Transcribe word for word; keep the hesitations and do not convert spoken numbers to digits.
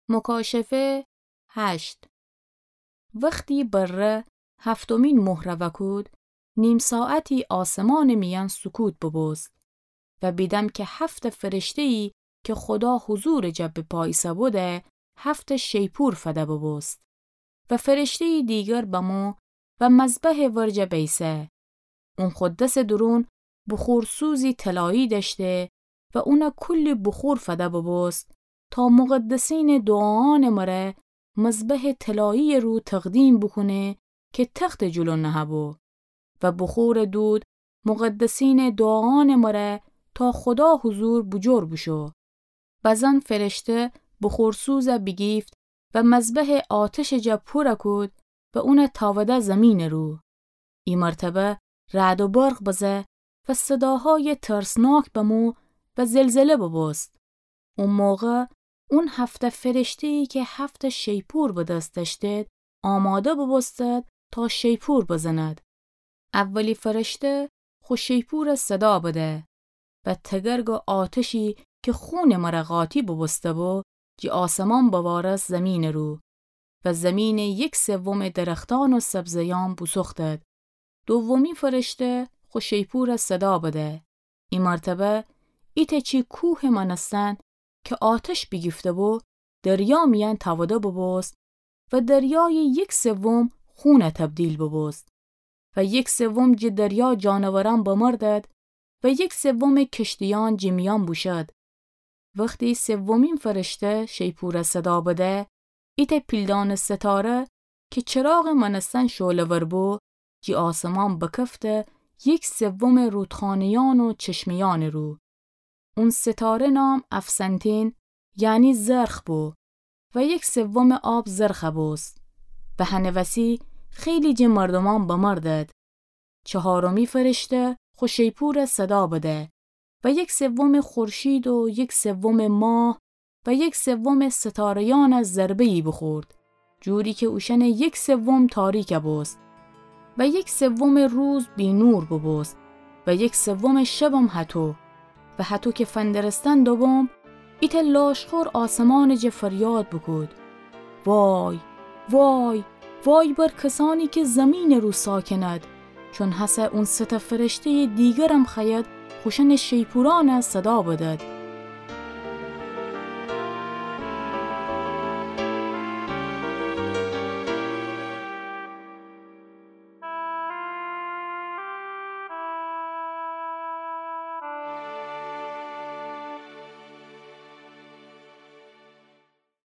مکاشفه هشت. وختی بره هفتمین مهره وأکود، نیم ساعتی آسمانٚ میأن سکوت ببوست و بیدم کی هفته فرشته‌یی کی خودا حضورٚ جا بپا ایسه‌بوده، هفته شیپور فده ببوست. و فرشته‌یی دیگر بمو و مذبحٚ ورجه بیسه. اون خو دسٚ دورون بخورسوزی طلایی دأشته و اونه کلی بخور فده ببوست تا مقدسینٚ دوعاانٚ مره مذبحٚ طلایی‌یٚ رو تقدیم بوکونه کی تختٚ جلو نهه‌بو و بخورٚ دود مقدسینٚ دوعاانٚ مره تا خودا حضور بوجور بوشو. بزن فرشته بخورسوزه بیگیفت و مذبحٚ آتشٚ جا پوره کود و اونه تاوده زیمینٚ رو. ای مرتبه رعد و برق بزه و صداهایٚ ترسناک بمو و زلزله ببوست. او موقع اون هفته فرشته‌یی کی هفته شیپور به دس دأشتید، آماده ببوستید تا شیپور بزند. اولی فرشته خو شیپوره صدا بده و تگرگٚ آتشی کی خونٚ مره قاطی بوبوسته‌بو، جی آسمان بوارست زیمینٚ رو و زیمینٚ یک سومٚ درختان و سبزه‌یأن بوسوختید. دومی فرشته خو شیپوره صدا بده. ای مرتبه ایتأ چی کوهٚ مأنستن کی آتش بیگیفته‌بو، دریا میأن تاوده ببوست و دریای یک سوم خونه تبدیل ببوست و یک سوم جٚه دریا جانورأن بمردد و یک سومٚ کشتیأن جٚه میأن بوشد. وختی سومین فرشته شیپوره صدا بده، ایتأ پیلدانٚ ستاره کی چراغٚ مأنستن شعله‌ور بو، جٚه آسمان بکفته یک سومٚ رودخانه‌یأن و چشمه‌یأنٚ رو. اون ستاره نام افسنتین، یعنی زرخ بو و یک سومٚ آب زرخه بوست و هنٚ وسی خیلی جٚه مردومأن بمردد. چهارمی فرشته خو شیپوره صدا بده و یک سومٚ خورشید و یک سومٚ ماه و یک سومٚ ستاره‌یأنه ضربه‌یی بوخورد، جوری کی اوشأنٚ یک سوم تاریکه بوست و یک سومٚ روز بینور بوبوست و یک سومٚ شبم هطو. و هطو کی فندرستن دوبوم، ایتأ لاشخور آسمانٚ جا فریاد بوکود: وای، وای، وای بر کسأنی کی زیمینٚ رو ساکنأد، چون هسه اون سه‌تأ فرشته‌یٚ دیگرم خوأید خوشأنٚ شیپورأنه صدا بدد